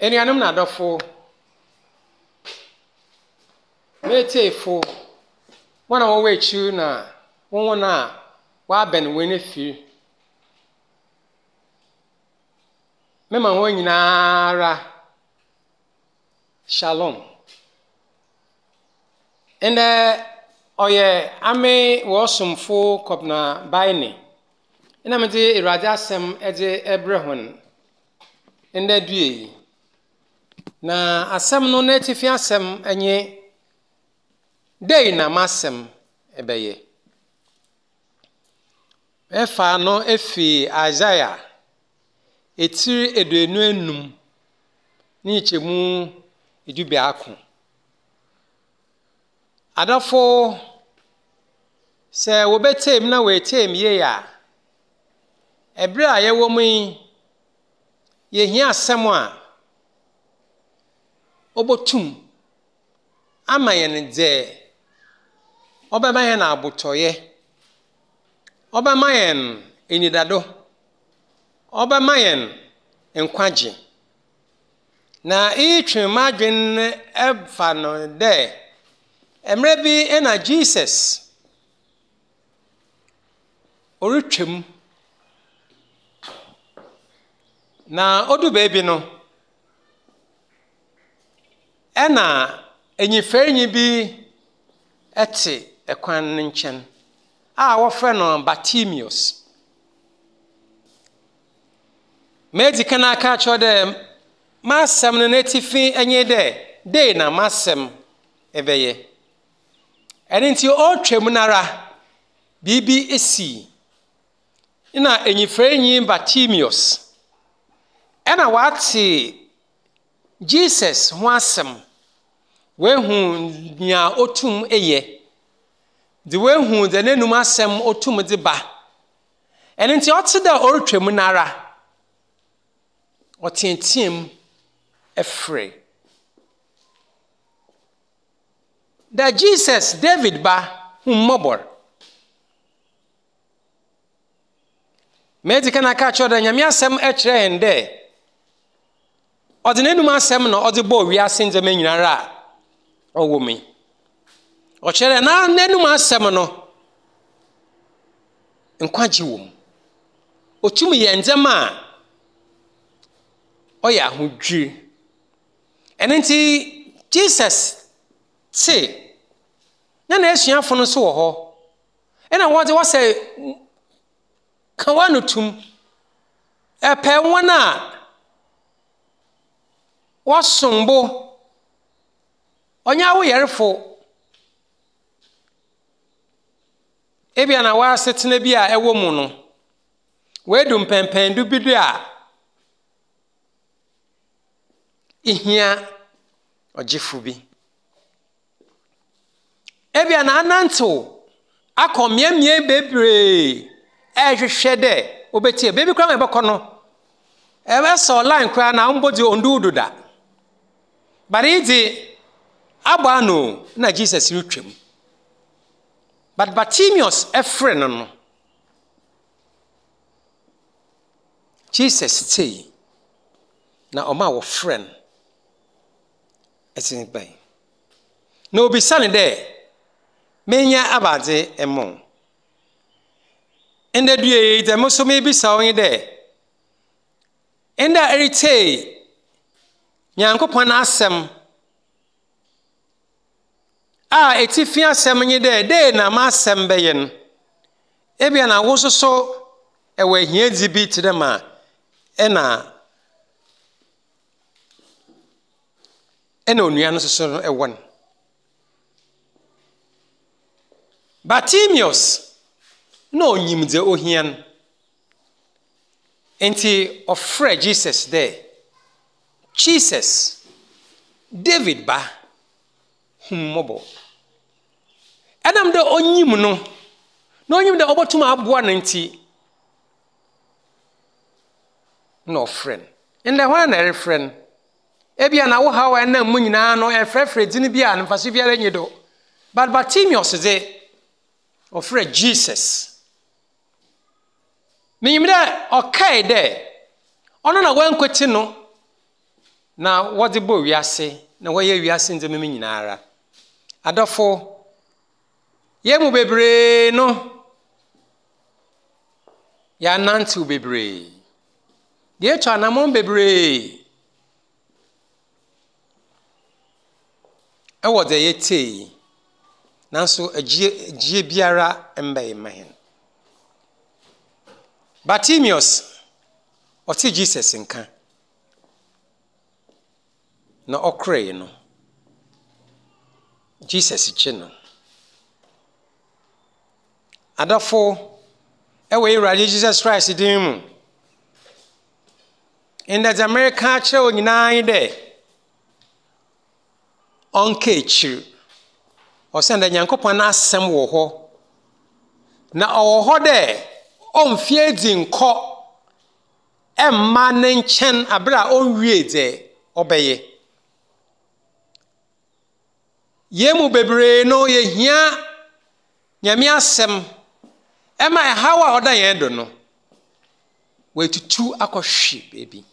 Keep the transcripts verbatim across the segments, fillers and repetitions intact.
Anuanom na adɔfo, m'etiefo, wɔn a wɔwɔ akyiri na wɔn a wɔabɛn wɔn afiri. Mema wɔn nyinara shalom. Ndɛ ɔyɛ ame wɔsomfo Kɔbena Baene na medze Awurade asɛm dze rebrɛ hɔn ndɛ dua yi. Na asɛm no n'atifi asɛm nye dɛn na m'asɛm ɛbɛyɛ. Ɛfa no efi Isaiah etiri aduonu enum ne nkyɛmu edu biako. Adɔfo, sɛ wɔbɛtie mu na wɔatie mu yie a, ɛberɛ a yɛwɔ mu yi, yɛhia asɛm a ɔbɛtum ama yɛn dze ɔbɛma yɛn abotɔyɛ, ɔbɛma yɛn enyidado, ɔbɛma yɛn nkwagye. Na iyi twe m'adwen ɛfa no dɛ mmerɛ bi na Jesus ɔretwam na odu baabi no, ɛna enyifɛnyi bi ɛte ɛkwan no nkyɛn a wɔfrɛ no Bartimaeus. Medzi kan aka akyerɛ dɛ m'asɛm no n'atifi nye dɛ dei na m'asɛm ɛbɛyɛ. Ɛno nti ɔretwam nara biribi esi na enyifɛnyi Bartimaeus ɛna wate Jesus ho asɛm, wehu nea otum yɛ, de wehu dɛ n'enum asɛm otum de ba. Ɛno nti ɔte dɛ ɔretwam nara ɔteateam ɛfrɛ dɛ Jesus David ba hu mmɔbɔ. Medzi kan aka akyerɛ dɛ Nyame asɛm kyerɛ yɛn dɛ ɔdze n'enum asɛm na ɔdze bɔɔ wiase ndzɛmba nyinara a ɔwɔ mu yi. Ɔkyerɛ dɛ na n'enum asɛm no nkwagye wɔ mu. Otum yɛ ndzɛmba a ɔyɛ ahodwiri. Ɛno nti Jesus te na n'asuafo no nso wɔ hɔ ɛna wɔdze wɔsɛ ka wɔn tum ɛpɛ wɔn a wɔsom bo ɔnyɛ awoyɛrefo ebia na wɔasetena bi a ɛwɔ mu no wɔadu mpɛmpɛndu bi do a ihia ɔgyefo bi. Ebia na anantew akɔ mmeammea bebree ɛrehwehwɛ dɛ wobɛtie. Baabi koraa ma ɛbɛkɔ no, ɛbɛsɔ line koraa na mbɔ dze ondu do da. But yi dze abɔ ano na Jesus retwam. But Bartimaeus ɛfrɛ no no, Jesus tei na ɔma wɔfrɛ no ɛdze bɛn. Na obisa no dɛ, menyɛ abadze mmo. Ndɛ dua yi dɛ mo nso mebisa wo nye dɛ, ndɛ a eretsie Nyankopɔn asɛm a etifi asɛm nye dɛ dei na m'asɛm bɛyɛ no, ebia na wo nso so ɛwɔ ahiadzi bi te dɛ ma ɛna ɛna onua no nso so no ɛwɔ no. Bartimaeus na onyim dze ohia no. Nti ɔfrɛ Jesus dɛ, Jesus, David ba, hu mmɔbɔ. Ɛnam dɛ onyim no, na onyim dɛ ɔbɛtum aboa no nti, na ɔfrɛ no. Ndɛ hwan na ɛrefrɛ no? Ebia na wo haw a ɛnam mu nyinaa no ɛfrɛfrɛ dzin bi a mfaso biara nyi do. But Bartimaeus dze, ɔfrɛ Jesus. Menyim dɛ ɔkae dɛ ɔno na wankwati no Na wɔdze bɔɔ wiase na wɔyɛ wiase ndzɛmba mu nyinara. Adɔfo, yɛn mu bebree no, yɛanantew bebree. Yɛatu anammɔn bebree ɛwɔ dza yɛtee yi. Nanso agyie agyie biara mbɛyɛ ma hɛn. Bartimaeus, ɔte Jesus nka. Na ɔkorɛe no, Jesus gye no. Adɔfo, ɛwɔ Awurade Jesus Christ din mu. Ndɛ dza mereka akyerɛ wo nyinaa nye dɛ, ɔnka ekyir. Ɔsiane dɛ Nyankopɔn n'asɛm wɔ hɔ. Na ɔwɔ hɔ dɛ ɔmfi edzi nkɔ ɛmma ne nkyɛn abere a ɔnwie dze ɔbɛyɛ. Yɛn mu bebree no yɛhia Nyame asɛm ɛma ɛhaw a ɔda yɛn do no, wɔatutu akɔhwe baabi.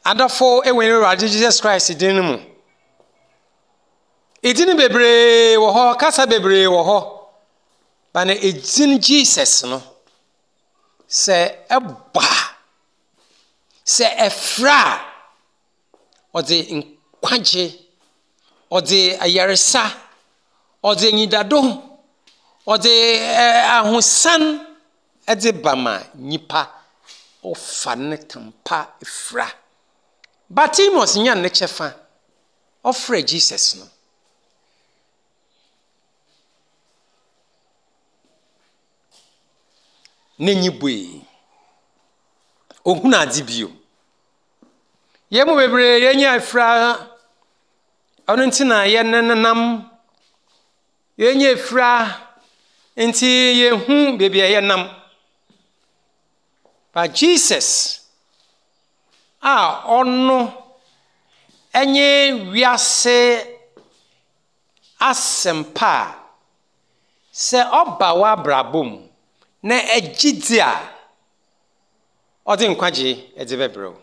Adɔfo ɛwɔ Awurade Jesus Christ din no mu. Edin bebree wɔ hɔ, kasa bebree wɔ hɔ. Ba na edin Jesus no, sɛ ɛbɔ a, sɛ ɛfrɛ a, ɔdze nkwagye, ɔdze ayaresa, ɔdze enyidado, ɔdze ahosan ɛdze ba ma nyipa ɔfa ne tampa efura. Bartimaeus nya ne kyɛfa, ɔfrɛ Jesus no. N'enyi bue. Ohun adze bio. Yɛn mu bebree yɛnyɛ afira, ɔno nti na yɛnenam. Yɛnyɛ afira nti yɛnhu baabi a yɛnam. But Jesus a ɔno ɛnyɛ wiase asɛmpa a sɛ ɔba w'abrabɔ mu na ɛgye di a, ɔde nkwagye ɛde bɛbrɛ wo.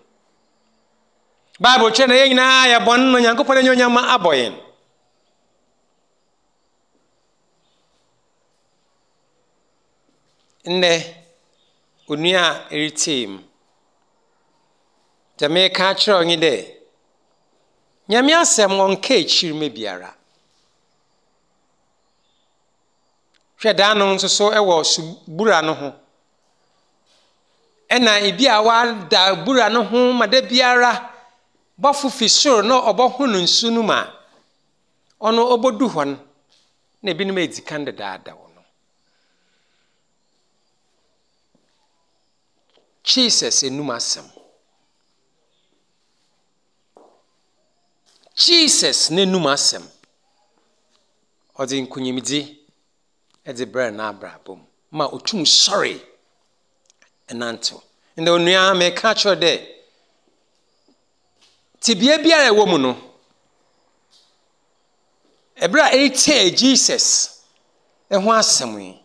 Bible kyerɛ na yɛn nyinaa yɛ bɔne na Onyankopɔn anuonyam abɔ yɛn. Nnɛ, onua a ɛretie mu, deɛ meka akyerɛ wo nye dɛ, Nyame asɛm ɔnka ekyir ma biara. Hwɛ daa no nso so ɛwɔ subura no ho. Ɛna ebi a wada bura no ho ma da biara bɔfo fi soro na ɔbɔho no nsu no mu a, ɔno ɔbɔdu hɔ no, na ebinom edi kan dedaada wɔ no. Jesus enum asɛm. Jesus n'enum asɛm. Ɔdze nkunyimdzi ɛdze brɛ n'abrabɔ mu ma otum sɔre ɛnantew. Ndɛ onua meka kyerɛ dɛ, tebea biara a ɛwɔ mu no, ɛberɛ a ɛretee Jesus ɛho asɛm yi,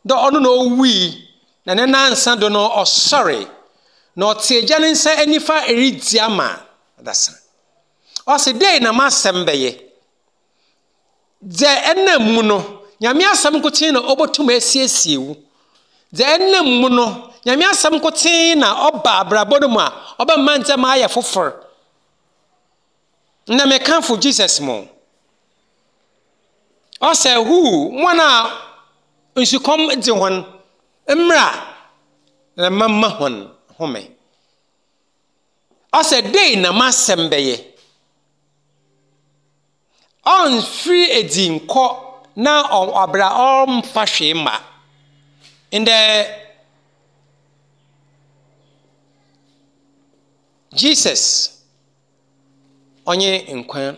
dɛ ɔno na owui na ne nansa do no ɔsɔre na ɔte agya ne nsa nifa ɛredi ama adasa. Ɔse dɛn na m'asɛm bɛyɛ? Dɛ ɛnam mu no, Nyame asɛm nkotsee na ɔbɛtum asiesie wo. Dɛ ɛnam mu no, Nyame asɛm nkotsee na ɔba abrabɔ no mu a ɔbɛma ndzɛmba ayɛ fofor. Na mekamfo Jesus mo. Ɔsɛ hu wɔn a nsukɔm dze hɔn mmra na mama hɔn home. Ɔsɛ dɛn na m'asɛm bɛyɛ? Ɔmfiri edi nkɔ na ɔbra ɔmfa hwee mma. Ndɛ Jesus ɔnye nkwa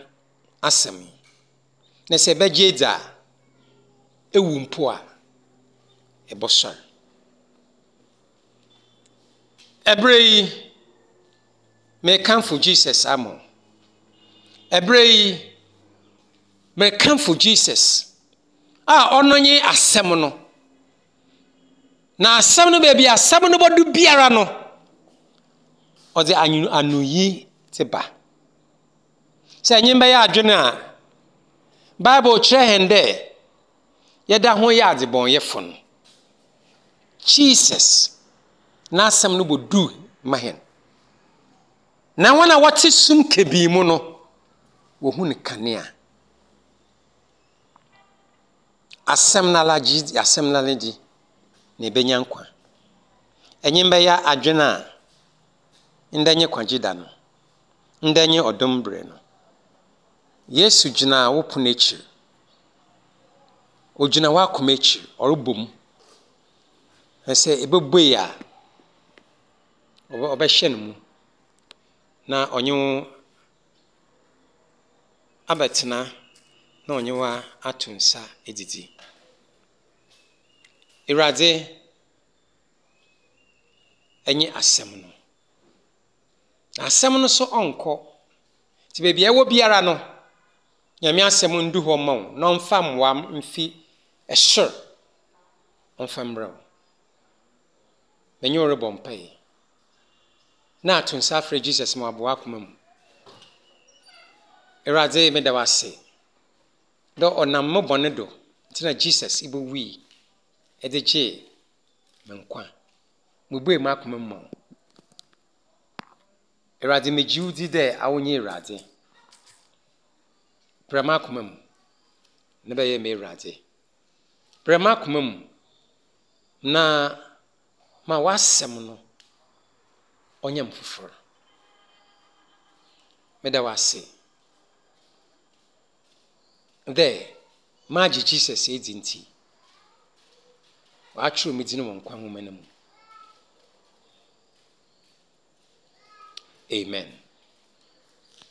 asɛm yi. Na sɛ ɛbɛgye edzi a, ewu mpo a, ɛbɔsɔre. Ɛberɛ yi, mekamfo Jesus ama wo. Ɛberɛ yi, mekamfo Jesus a ɔno nye asɛm no. Na asɛm no baabi asɛm no bɔdu biara no, Ɔdze anoyi dze ba. Sɛ ɛnye bɛyɛ adwene a, Bible kyerɛ hɛn dɛ yɛda ho yɛ adzebɔnyɛfo no. Jesus n'asɛm no bɔdu ma hɛn. Na wɔn a wɔte sum kebii mu no, wohu no kanea. Asɛm n'ala gye asɛm n'ala gye na ebenya nkwa. Ɛnye bɛyɛ adwene a, ndɛ nye kwagye da no. Ndɛ nye ɔdom bere no. Yesu gyina wo pono akyiri. Ogyina w'akoma akyiri, ɔrebɔ mu. Na sɛ ebɛbue a, ɔbɛhyɛ no mu na ɔnye wo abɛtena na ɔnye wo ato nsa adidi. Awurade ɛnyɛ asɛm no. Na asɛm no nso ɔnkɔ. Nti baabi a ɛwɔ biara no, Nyame asɛm ndu hɔ ma wo na ɔmfa mmoa mfi ɛsoro ɔmfa mbrɛ wo. Menye wo rebɔ mpaeɛ. Na ato nsa afrɛ Jesus ma waboa akoma mu. Awurade, meda wo ase. Dɛ ɔnam mo bɔne do nti na Jesus ibowui ɛde gyee me nkwa. Mubue m'akoma mu ma wo. Awurade, megye wo di dɛ awo nye Awurade. Brɛ m'akoma mu na bɛyɛ me Awurade. Brɛ m'akoma mu na ma w'asɛm no ɔnyɛ me foforɔ. Meda wo ase dɛ magye Jesus edi nti, wɔatwerɛ me din wɔ nkwa nwoma no mu. Amen.